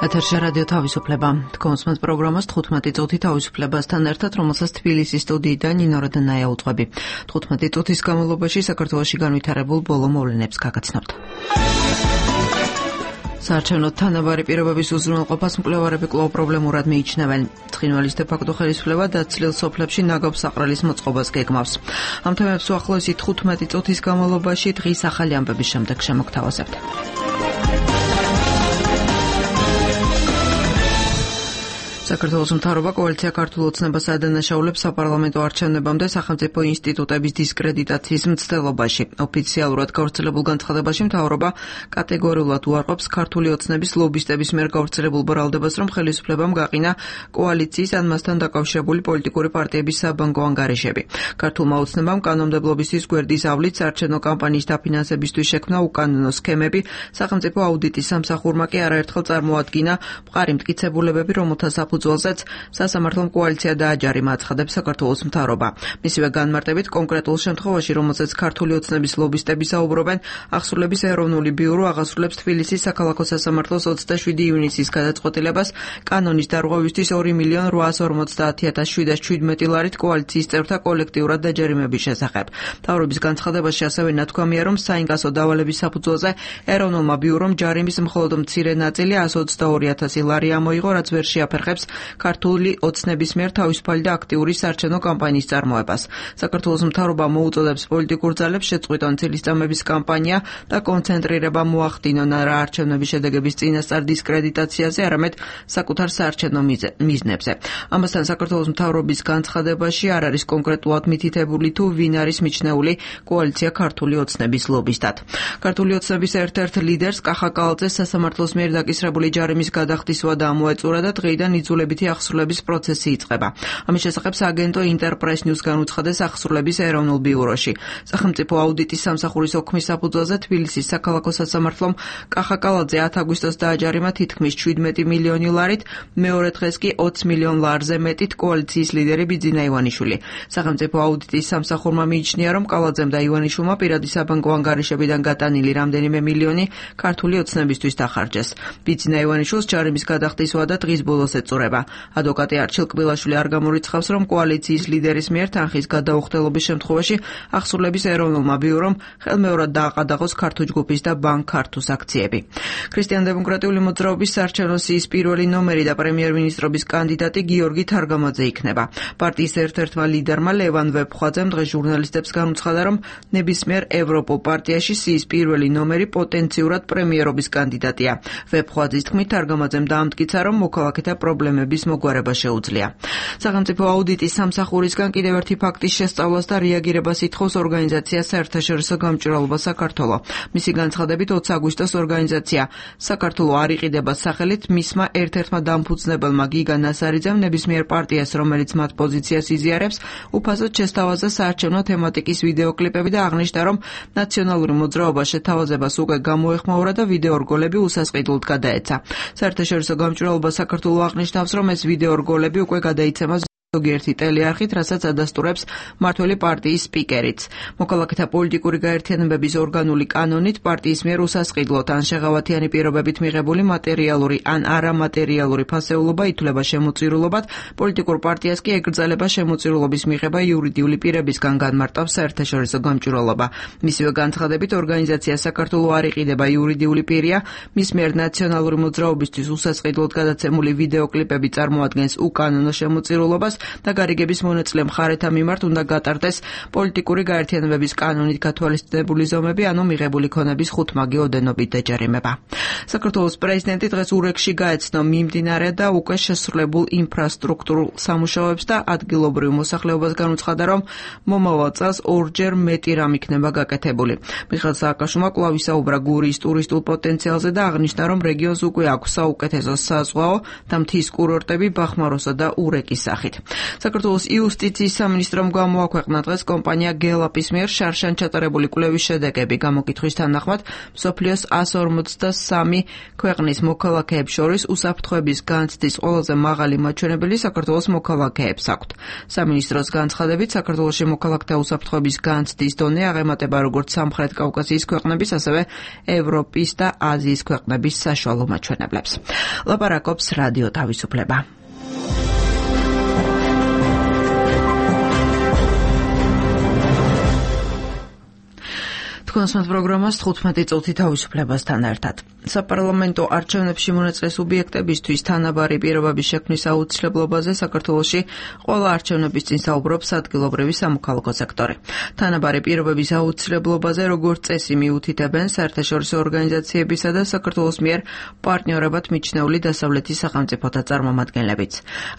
ეთერში რადიო თავისუფლება. თქვენს პროგრამას 15 წუთი თავისუფლებასთან ერთად, რომელსაც თბილისის სტუდიიდან ნინო როდანაია უძღვები. 15 წუთის განმავლობაში საქართველოში განვითარებულ ბოლო მოვლენებს გაგაცნობთ. საარჩევნო თანაბარი პირობების უზრუნველყოფას მკვლევარები კვლავ პრობლემურად მიიჩნევენ. ცხინვალის დე-ფაქტო ხელისუფლება დაცლილ სოფლებში ნაგავ საყრელის მოწყობას გეგმავს. ამ თემებს უახლოესი 15 წუთის განმავლობაში დღის ახალი ამბების შემდეგ შემოგთავაზებთ. საქართველოს მთავრობა კოალიცია ქართულ ოცნებას ადანაშაულებს საპარლამენტო არჩევნებამდე სახელმწიფო ინსტიტუტების დისკრედიტაციის მცდელობაში. ოფიციალურად გავრცელებულ განცხადებაში მთავრობა კატეგორიულად უარყოფს ქართული ოცნების ლობისტების მიერ გავრცელებულ ბრალდებას, რომ ხელისუფლებამ გაყინა კოალიციის ან მასთან დაკავშირებული პოლიტიკური პარტიების საბანკო ანგარიშები. ქართულმა ოცნებამ კანონმდებლობისთვის გვერდის ავლით საარჩევნო კამპანიის დაფინანსებისთვის შექმნა უკანონო სქემები, სახელმწიფო აუდიტის სამსახურმა კი არაერთხელ წარმოადგინა მყარი მტკიცებულებები, რომელთა საფუძველზეც სასამართლომ კოალიცია დააჯარიმა, აცხადებს საქართველოს მთავრობა. მისივე განმარტებით, კონკრეტულ შემთხვევაში, რომელზეც ქართული ოცნების ლობისტები საუბრობენ, აღსრულების ეროვნული ბიურო აღასრულებს თბილისის საქალაქო სასამართლოს 27 ივნისის გადაწყვეტილებას კანონის დარღვევისთვის 2.850.717 ლარით კოალიციის წევრთა კოლექტიურად დაჯარიმების შესახებ. მთავრობის განცხადებაში ასევე ნათქვამია, რომ საინკასო დავალების საფუძველზე ეროვნულმა ბიურომ ჯარიმის მხოლოდ მცირე ნაწილი 122.000 ლარი ამოიღო, რაც ვერ შეაფერხებს ქართული ოცნების მიერ თავისუფალი და აქტიური საარჩევნო კამპანიის წარმოებას. საქართველოს მთავრობა მოუწოდებს პოლიტიკურ ძალებს შეწყვიტონ ცილისწამების კამპანია და კონცენტრირება მოახდინონ არა არჩევნების შედეგების წინასწარ დისკრედიტაციაზე, არამედ საკუთარ საარჩევნო მიზნებზე. ამასთან საქართველოს მთავრობის განცხადებაში არ არის კონკრეტულად მითითებული თუ ვინ არის მიჩნეული კოალიცია ქართული ოცნების ლობისტად. ქართული ოცნების ერთ-ერთ ლიდერს კახა კალაძეს სასამართლოს მიერ დაკისრებული ჯარიმის გადახდის ვადა ამოეწურა და დღეიდან იძულებითი აღსრულების პროცესი იწყება. ამის შესახებ სააგენტო ინტერპრეს ნიუს განუცხადეს აღსრულების ეროვნულ ბიუროში. სახელმწიფო აუდიტის სამსახურის ოქმის საფუძველზე თბილისის საქალაქო სასამართლომ კახა კალაძე 10 აგვისტოს დააჯარიმა თითქმის 17 მილიონი ლარით, მეორე დღეს კი 20 მილიონ ლარზე მეტით კოალიციის ლიდერი ბიძინა ივანიშვილი. სახელმწიფო აუდიტის სამსახურმა მიიჩნია, რომ კალაძემ და ივანიშვილმა პირადი საბანკო ანგარიშებიდან გატანილი რამდენიმე მილიონი ქართული ოცნებისთვის დახარჯეს. ბიძინა ივანიშვილს ჯარიმის გადახდის ვადა დღის ბოლოს ეწურება. ადვოკატი არჩილ კბილაშვილი არ გამორიცხავს, რომ კოალიციის ლიდერის მიერ თანხის გადაუხდელობის შემთხვევაში აღსრულების ეროვნულმა ბიურომ ხელმეორად დააყადაღოს ქართულ ჯგუფის და ბანკ ქართუს აქციები. ქრისტიან-დემოკრატიული მოძრაობის საარჩევნო სიის პირველი ნომერი და პრემიერ-მინისტრობის კანდიდატი გიორგი თარგამაძე იქნება. პარტიის ერთ-ერთმა ლიდერმა ლევან ვეფხვაძემ დღეს ჟურნალისტებს განუცხადა, რომ ნებისმიერ ევროპულ პარტიაში სიის პირველი ნომერი პოტენციურად პრემიერობის კანდიდატია. ვეფხვაძის თქმით, თარგამაძემ დაამტკიცა, რომ მოქალაქეთა პრობლემების მოგვარება შეუძლია. სახელმწიფო აუდიტის სამსახურისგან კიდევ ერთი ფაქტის შესწავლას და რეაგირებას ითხოვს ორგანიზაცია საერთაშორისო გამჭვირვალობა საქართველო. მისი განცხადებით 20 აგვისტოს ორგანიზაცია საქართველო არ იყიდება სახელით მისმა ერთ-ერთმა დამფუძნებელმა გიგა ნასარიძემ ნებისმიერ პარტიას, რომელიც მათ პოზიციას იზიარებს, უფასოდ შესთავაზა საარჩევნო თემატიკის ვიდეოკლიპები და აღნიშნა, რომ ნაციონალური მოძრაობა შეთავაზებას უკვე გამოეხმაურა და ვიდეო რგოლები უსასყიდლოდ გადაეცა. საერთაშორისო გამჭვირვალობა საქართველო აღნიშნავს, რომ ეს ვიდეო რგოლები უკვე გადაიცემა ზოგიერთი ტელეარხით, რასაც ადასტურებს მმართველი პარტიის სპიკერიც. მოქალაქეთა პოლიტიკური გაერთიანებების ორგანული კანონით პარტიის მიერ უსასყიდლოდ ან შეღავათიანი პირობებით მიღებული მატერიალური ან არამატერიალური ფასეულობა ითვლება შემოწირულობად, პოლიტიკურ პარტიას კი ეკრძალება შემოწირულობის მიღება იურიდიული პირებისგან, განმარტავს საერთაშორისო გამჭვირვალობა. მისივე განცხადებით, ორგანიზაცია საქართველო არ იყიდება იურიდიული პირია, მის მიერ ნაციონალური მოძრაობისთვის უსასყიდლოდ გადაცემული ვიდეოკლიპები წარმოადგენს უკანონო შემოწირულობას და გარიგების მონაწილე მხარეთა მიმართ უნდა გატარდეს პოლიტიკური გაერთიანებების კანონით გათვალისწინებული ზომები, ანუ მიღებული ქონების ხუთმაგი ოდენობით დაჯარიმება. საქართველოს პრეზიდენტი დღეს ურეკში გაეცნო მიმდინარე და უკვე შესრულებულ ინფრასტრუქტურულ სამუშაოებს და ადგილობრივ მოსახლეობას განუცხადა, რომ მომავალ წელს ორჯერ მეტი რამ იქნება გაკეთებული. მიხეილ სააკაშვილმა კვლავ ისაუბრა გურიის ტურისტულ პოტენციალზე და აღნიშნა, რომ რეგიონს უკვე აქვს საუკეთესო საზღვაო და მთის კურორტები ბახმაროსა და ურეკის სახით. საქართველოს იუსტიციის სამინისტრომ გამოაქვეყნა დღეს კომპანია გელაპის მიერ შარშან ჩატარებული კვლევის შედეგები. გამოკითხვის თანახმად მსოფლიოს 153 ქვეყნის მოქალაქეებს შორის უსაფრთხოების განცდის ყველაზე მაღალი მაჩვენებელი საქართველოს მოქალაქეებს აქვთ. სამინისტროს განცხადებით, საქართველოში მოქალაქეთა უსაფრთხოების განცდის დონე აღემატება როგორც სამხრეთ კავკასიის ქვეყნების, ასევე ევროპის და აზიის ქვეყნების საშუალო მაჩვენებლებს. ლაპარაკობს რადიო თავისუფლება. კონსმათ პროგრამას 15 წუთი თავისუფლებასთან ერთად. საპარლამენტო არჩევნებში მონაწილე სუბიექტებისთვის თანაბარი პირობების შექმნის აუცილებლობაზე საქართველოში ყველა არჩევნების წინ საუბრობს ადგილობრივი სამოქალაქო სექტორი. თანაბარი პირობების აუცილებლობაზე როგორც წესი მიუთითებენ საერთაშორისო ორგანიზაციებისა და საქართველოს მიერ პარტნიორებად მიჩნეული დასავლეთის სახელმწიფოთა წარმომადგენლებიც.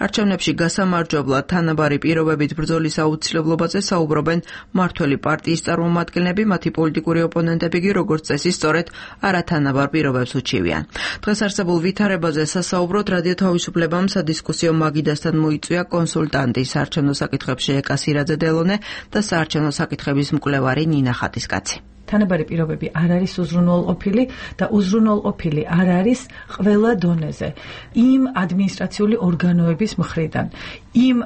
არჩევნებში გასამარჯვებლად თანაბარი პირობებით ბრძოლის აუცილებლობაზე საუბრობენ მმართველი პარტიის წარმომადგენლები, მათი პოლიტიკური ოპონენტები კი როგორც წესი სწორედ არათანაბარ პირობებს უჩივიან. დღეს არსებულ ვითარებაზე სასაუბროდ რადიო თავისუფლებამ სადისკუსიო მაგიდასთან მოიწვია კონსულტანტი საარჩევნო საკითხებში ეკა სირაძე-დელონე და საარჩევნო საკითხების მკვლევარი ნინა ხატისკაცი. თანაბარი პირობები არ არის უზრუნველყოფილი და უზრუნველყოფილი არ არის ყველა დონეზე. იმ ადმინისტრაციული ორგანოების მხრიდან, იმ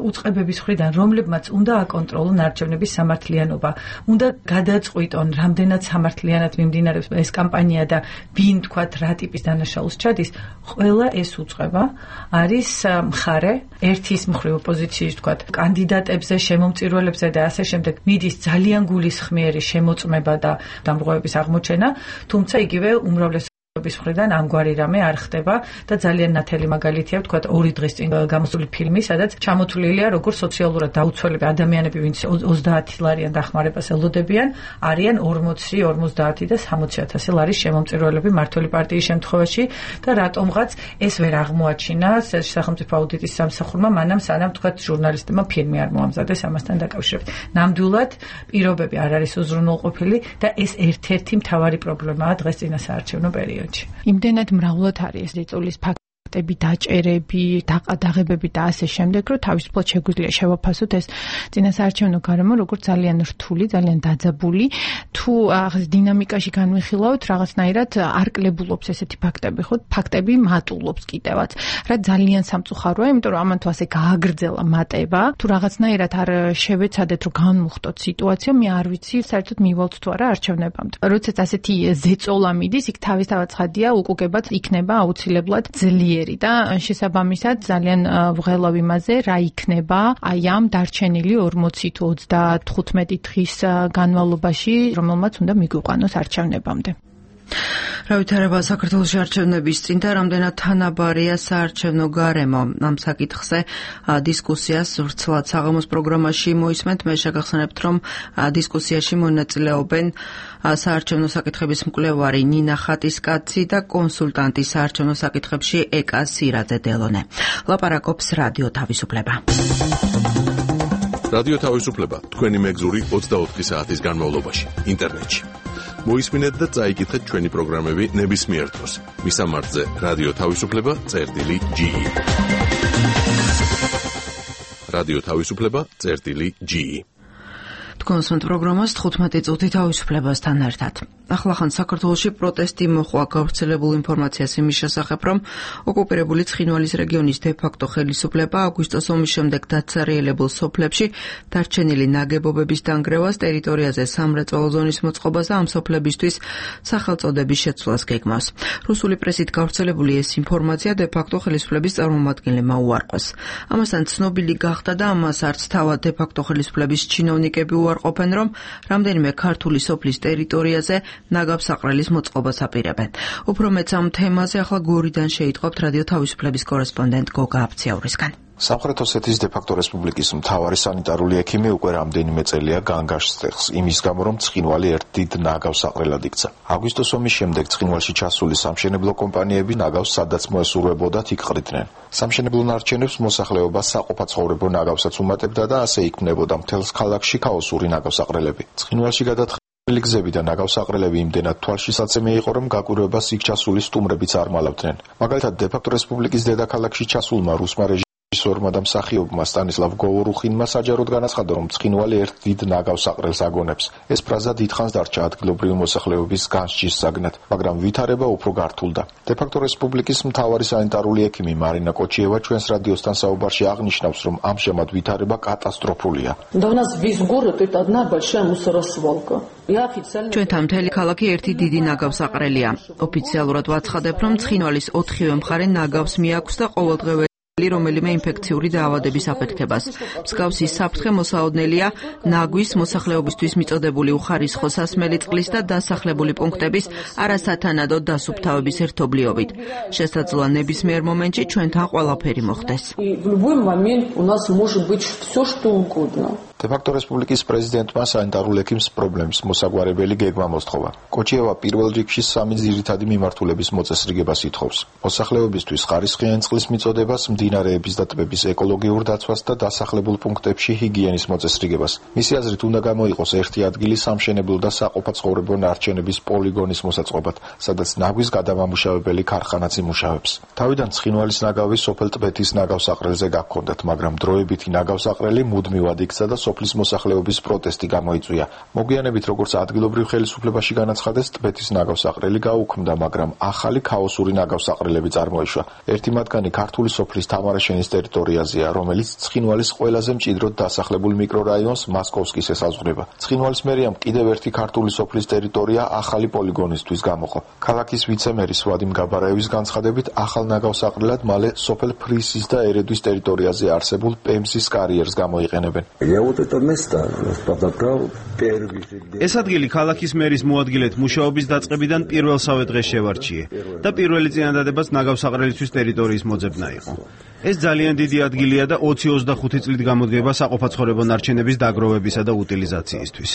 უწყებების მხრიდან, რომლებმაც უნდა აკონტროლონ არჩევნების სამართლიანობა, უნდა გადაწყვიტონ, რამდენად სამართლიანად მიმდინარეობს ეს კამპანია და ვინ თქვათ რა ტიპის დანაშაულს ჩადის, ყველა ეს უწყება არის მხარე ერთის მხრივ ოპოზიციის თქვათ კანდიდატებზე, შემომწირველებზე და ასე შემდეგ მიდის ძალიან გულისხმიერი შემოწმება და დამრღვევების აღმოჩენა, თუმცა იგივე უმრავლეს მხრიდან ამგვარი რამე არ ხდება და ძალიან ნათელი მაგალითია ვთქვათ 2 დღის წინ გამოსული ფილმი, სადაც ჩამოთვლილია როგორც სოციალურად დაუცველები ადამიანები, ვინც 30 ლარიან დახმარებას ელოდებიან, არიან 40, 50 და 60,000 ლარის შემომწირველები მმართველი პარტიის შემთხვევაში და რატომღაც ეს ვერ აღმოაჩინა სახელმწიფო აუდიტის სამსახურმა, მანამ სანამ თქვათ ჟურნალისტებმა ფილმი არ მოამზადეს ამასთან დაკავშირებით. ნამდვილად პირობები არ არის უზრუნველყოფილი და ეს ერთ-ერთი მთავარი პრობლემაა დღეს წინასაარჩევნო პერიოდში. იმდენად მრავლად არის ზეწოლის ფაქტები, დაჭერები, დაღებები და ასე შემდეგ, რომ თავისუფლად შეგვიძლია შევაფასოთ ეს წინასაარჩევნო გარემო როგორც ძალიან რთული, ძალიან დაძაბული. თუ ახლა დინამიკაში განვიხილავთ, რაღაცნაირად არ კლებულობს ესეთი ფაქტები, ხო? ფაქტები მატულობს კიდევაც. რა ძალიან სამწუხაროა, იმიტომ რომ ამან თუ ასე გააგრძელა მატება, თუ რაღაცნაირად არ შევეცადეთ, რომ განვუხტოთ სიტუაცია, მე არ ვიცი, საერთოდ მივალთ თუ არა არჩევნებამდე. როდესაც ასეთი ზეწოლა მიდის, იქ თავისთავად ცხადია, უკუგებად იქნება აუცილებლად ძლიერი და შესაბამისად ძალიან ვღელავ იმაზე, რა იქნება აი ამ დარჩენილი 40 თუ 35 დღის განმავლობაში, რომელმაც უნდა მიგვიყვანოს არჩევნებამდე. რა ვითარება საქართველოში არჩევნების წინ და რამდენად თანაბარია საარჩევნო გარემო? ამ საკითხზე დისკუსიას ვრცლად საღამოს პროგრამაში მოისმენთ. მე შეგახსენებთ, რომ დისკუსიაში მონაწილეობენ საარჩევნო საკითხების მკვლევარი ნინა ხატისკაცი და კონსულტანტი საარჩევნო საკითხებში ეკა სირაძე-დელონე. ლაპარაკობს რადიო თავისუფლება. რადიო თავისუფლება თქვენი მეგზური 24 საათის განმავლობაში ინტერნეტში. მოისმინეთ და წაიკითხეთ ჩვენი პროგრამები ნებისმიერ დროს. მისამართზე რადიო თავისუფლება.ge. რადიო თავისუფლება.ge. კონსულტ პროგრამას 15 წუთი თავისუფლებასთან ერთად. ახლახან საქართველოში პროტესტი მოხვა გავრცელებულ ინფორმაციას იმის შესახებ, რომ ოკუპირებული ცხინვალის რეგიონის დე-ფაქტო ხელისუფლება აგვისტოს ომის შემდეგ დაცარიელებულ სოფლებში დარჩენილი ნაგებობების დანგრევას, ტერიტორიაზე სამრეწველო ზონის მოწყობას და ამ სოფლებისთვის სახელწოდების შეცვლას გეგმავს. რუსული პრესით გავრცელებული ეს ინფორმაცია დე-ფაქტო ხელისუფლების წარმომადგენლებმა უარყვეს. ამასთან ცნობილი გახდა და ამას არც თავად დე-ფაქტო ხელისუფლების ჩინოვნიკები უარყოფენ, რომ რამდენიმე ქართული სოფლის ტერიტორიაზე ნაგავსაყრელის მოწყობას აპირებენ. უფრო მეც ამ თემაზე ახლა გორიდან შეიტყობთ რადიო თავისუფლების კორესპონდენტ გოგა აფციაურისგან. სამხრეთ ოსეთის დე-ფაქტო რესპუბლიკის მთავარი სანიტარული ექიმი უკვე რამდენიმე წელია განგაშს იმის გამო, რომ ცხინვალი ერთ დიდ ნაგავსაყრელად იქცა. აგვისტოს ომის შემდეგ ცხინვალში ჩასული სამშენებლო კომპანიები ნაგავს სადაც მოესურვებოდათ იქ ყრიდნენ. სამშენებლო ნარჩენებს მოსახლეობა საყოფაცხოვრებო ნაგავსაც უმატებდა და ასე იქმნებოდა მთელს ქალაქში ქაოსური ნაგავსაყრელები. ცხინვალში გადაწყდილი გზები და ნაგავსაყრელები იმდენად თვალშისაცემი იყო, რომ გაკვირვებას იქ ჩასული სტუმრებიც არ მალავდნენ. მაგალითად, დე-ფაქტო რესპუბლიკის დედაქალაქში ჩასულმა რუსმა რეჟისორმა და მსახიობმა სტანისლავ გოვორუხინმა საჯაროდ განაცხადა, რომ ცხინვალი ერთ დიდ ნაგავს აყრელს აგონებს. ეს ფრაზა დიდხანს დარჩა ადგილობრივი მოსახლეობის განსჯის საგნად, მაგრამ ვითარება უფრო გართულდა. დე-ფაქტო რესპუბლიკის მთავარი სანიტარული ექიმი მარინა კოჩიევა ჩვენს რადიოსთან საუბარში აღნიშნავს, რომ ამჟამად ვითარება კატასტროფულია. ჩვენთან მთელი ქალაქი ერთი დიდი ნაგავსაყრელია. ოფიციალურად ვაცხადებ, რომ ცხინვალის 4-ვე მხარე ნაგავს მიაქვს და ყოველდღიურად რომელიმე ინფექციური დაავადების აფეთქებას. მსგავსი საფრთხე მოსაოდნელია ნაგვის მოსახლეობისთვის მიწოდებული უხარისხო სასმელი წყლის და დასახლებული პუნქტების არასათანადო დასუფთავების ერთობლიობით. შესაძლოა ნებისმიერ მომენტში ჩვენთან ყველაფერი მოხდეს. დე-ფაქტო რესპუბლიკის პრეზიდენტმა სანიტარულ ექიმს პრობლემის მოსაგვარებელი გეგმა მოსთხოვა. კოჩიევა პირველ რიგში 3 ძირითადი მიმართულების მოწესრიგებას ითხოვს. მოსახლეობისთვის ხარისხიანი წყლის მიწოდებას, მდინარეების და ტბების ეკოლოგიურ დაცვას და დასახლებულ პუნქტებში ჰიგიენის მოწესრიგებას. მისი აზრით უნდა გამოიყოს ერთი ადგილი სამშენებლო და საყოფაცხოვრებო ნარჩენების პოლიგონის მოსაწყობად, სადაც ნაგვის გადამამუშავებელი ქარხანაც იმუშავებს. თავიდან ცხინვალის ნაგავი სოფელ ტბეთის ნაგავსაყრელზე გაქონდათ, მაგრამ დროებითი ნაგავსაყრელი მუდმივად იქცა და სოფლის მოსახლეობის პროტესტი გამოიწვია. მოგვიანებით, როგორც ადგილობრივ ხელისუფლებაში განაცხადეს, ტბეთის ნაგავსაყრელი გაუქმდა, მაგრამ ახალი ქაოსური ნაგავსაყრელები წარმოიშვა. ერთი მათგანი ქართული სოფლის თამარაშენის ტერიტორიაზეა, რომელიც ცხინვალის ყველაზე მჭიდროდ დასახლებულ მიკრორაიონს მასკოვსკის ესაზღვრება. ცხინვალის მერიამ კიდევ ერთი ქართული სოფლის ტერიტორია ახალი პოლიგონისთვის გამოყო. ქალაქის ვიცემერის ვადიმ გაბარაევის განცხადებით, ახალ ნაგავსაყრელად მალე სოფელ ფრისის და ერედვის ტერიტორიაზე არსებულ პემსის კარიერს გამოიყენებენ. ეს ადგილი ქალაქის მერის მოადგილედ მუშაობის დაწყებიდან პირველსავე დღეს შევარჩიე და პირველი წინადადებას ნაგავსაყრელისთვის ტერიტორიის მოძებნა იყო. ეს ძალიან დიდი ადგილია და 20-25 წლით გამოდგება საყოფაცხოვრებო ნარჩენების დაგროვებისა და უტილიზაციისთვის.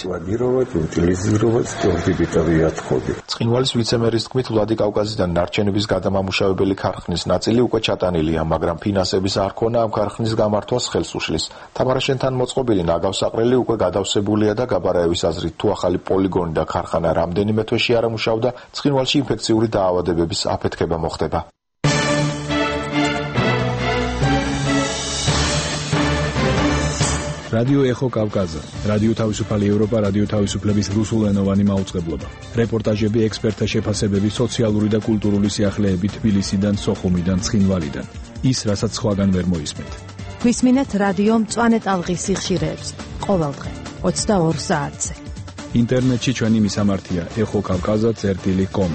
ცხინვალის ვიცემერის თქმით, ვლადიკავკაზიდან ნარჩენების გადამამუშავებელი ქარხნის ნაწილი უკვე ჩატანილია, მაგრამ ფინანსების არ ქონა ამ ქარხნის გამართვას ხელს უშლის. თამარაშენთან მოწყობილი ნაგავსაყრელი უკვე გადავსებულია და გაბარაევის აზრით, თუ ახალი პოლიგონი და ქარხანა რამდენიმე თვეში არ ამუშავდა, ცხინვალში ინფექციური დაავადებების აფეთქება მოხდება. რადიო ეხო კავკაზა, რადიო თავისუფალი ევროპა, რადიო თავისუფლების რუსულენოვანი მაუწყებლობა. რეპორტაჟები, ექსპერტთა შეფასებები, სოციალური და კულტურული სიახლეები თბილისიდან, სოხუმიდან, ცხინვალიდან. ის, რასაც სხვაგან ვერ მოისმენთ. გვისმინეთ რადიო მწვანე ტალღის სიხშირეებს ყოველდღე 22 საათზე. ინტერნეტში ჩვენი მისამართია ეხოკავკაზა.com.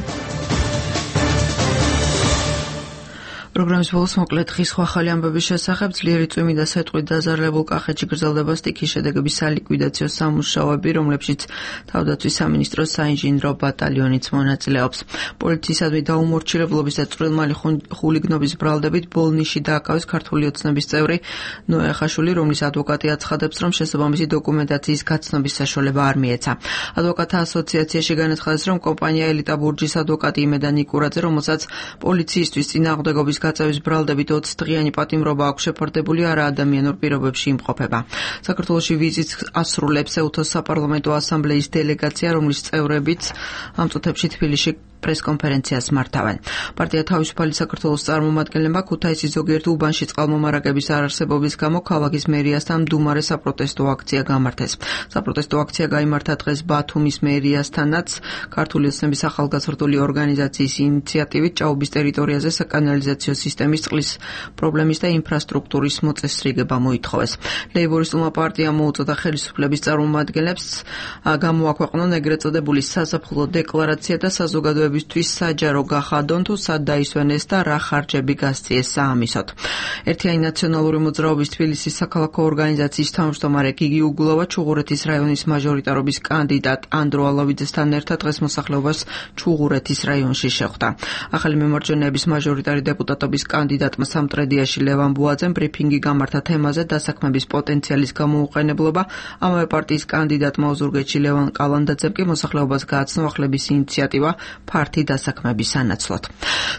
პროგრამის ბოლოს მოკლედ ხის სხვა ახალი ამბების შესახებ ძლიერი წვიმი და სეტყვით დაზარალებულ კახეთში გრძელდება სტიქის შედეგების სალიკვიდაციო სამუშაოები, რომლებშიც თავდაცვის სამინისტროს საინჟინრო ბატალიონიც მონაწილეობს. პოლიციისადმი დაუმორჩილებლობის და წვრილმალი ხულიგნობის ბრალდებით ბოლნიში დააკავეს ქართული ოცნების წევრი ნოე ახაშვილი, რომლის ადვოკატი აცხადებს, რომ შესაბამისი დოკუმენტაციის გაცნობის საშუალება არ მიეცა. ადვოკატთა ასოციაციაში განაცხადეს, რომ კომპანია ელიტა ბურჯის ადვოკატი იმედან ნიკურაძე, რომელსაც პოლიციისთვის წინააღმდეგობის გაწევის ბრალდებით 20 დღიანი პატიმრობა აქვს შეფარდებული, არა ადამიანურ პირობებში იმყოფება. საქართველოში ვიზიტს ასრულებს ეუთოს საპარლამენტო ასამბლეის დელეგაცია, რომლის წევრებიც ამ წუთებში თბილისში პრესკონფერენციას მართავენ. პარტია თავისუფალი საქართველოს წარმომადგენლებმა ქუთაისის ზოგიერთ უბანში წყალმომარაგების არარსებობის გამო ქალაქის მერიასთან მდუმარე საპროტესტო აქცია გამართეს. საპროტესტო აქცია გაიმართა დღეს ბათუმის მერიასთანაც. ქართული ოცნების ახალგაზრდული ორგანიზაციის ინიციატივით ჭაობის ტერიტორიაზე საკანალიზაციო სისტემის წყლის პრობლემის და ინფრასტრუქტურის მოწესრიგება მოითხოვეს. ლეიბორისტულმა პარტიამ მოუწოდა ხელისუფლების წარმომადგენლებს გამოაქვეყნონ ეგრეთ წოდებული საზაფხულო დეკლარაცია და საზოგადოებისთვის საჯარო გახადონ, თუ სად დაისვენეს და რა ხარჯები გასწიეს საამისოდ. ერთიანი ნაციონალური მოძრაობის თბილისის საქალაქო ორგანიზაციის თავმჯდომარე გიგი უგულავა ჩუღურეთის რაიონის მაჟორიტარობის კანდიდატ ანდრო ალავიძესთან ერთად დღეს მოსახლეობას ჩუღურეთის რაიონში შეხვდა. ახალი მემარჯვენეების მაჟორიტარი დეპუტატობის კანდიდატმა სამტრედიაში ლევან ბუაძემ ბრიფინგი გამართა თემაზე დასაქმების პოტენციალის გამოუყენებლობა. ამავე პარტიის კანდიდატმა ოზურგეთში ლევან კალანდაძემ კი მოსახლეობას გააცნო ახლების ინიციატივა ფართი დასაქმების სანაცვლოდ.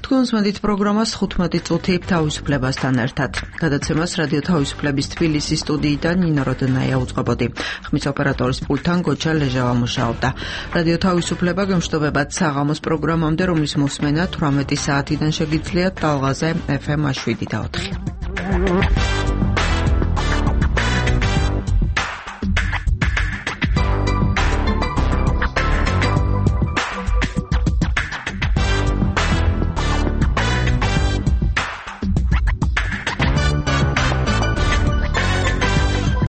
თქვენ უსმენთ პროგრამას 15 წუთი თავისუფლებასთან ერთად. გადაცემას რადიო თავისუფლების თბილისის სტუდიიდან ნინო როდონაია უძღვებოდი. ხმის ოპერატორის პულტთან გოჩა ლეჟავა მუშაობდა. რადიო თავისუფლება გემშვიდობებად საღამოს პროგრამამდე, რომლის მოსმენა 18 საათიდან შეგიძლიათ ტალღაზე FM 7 და 4.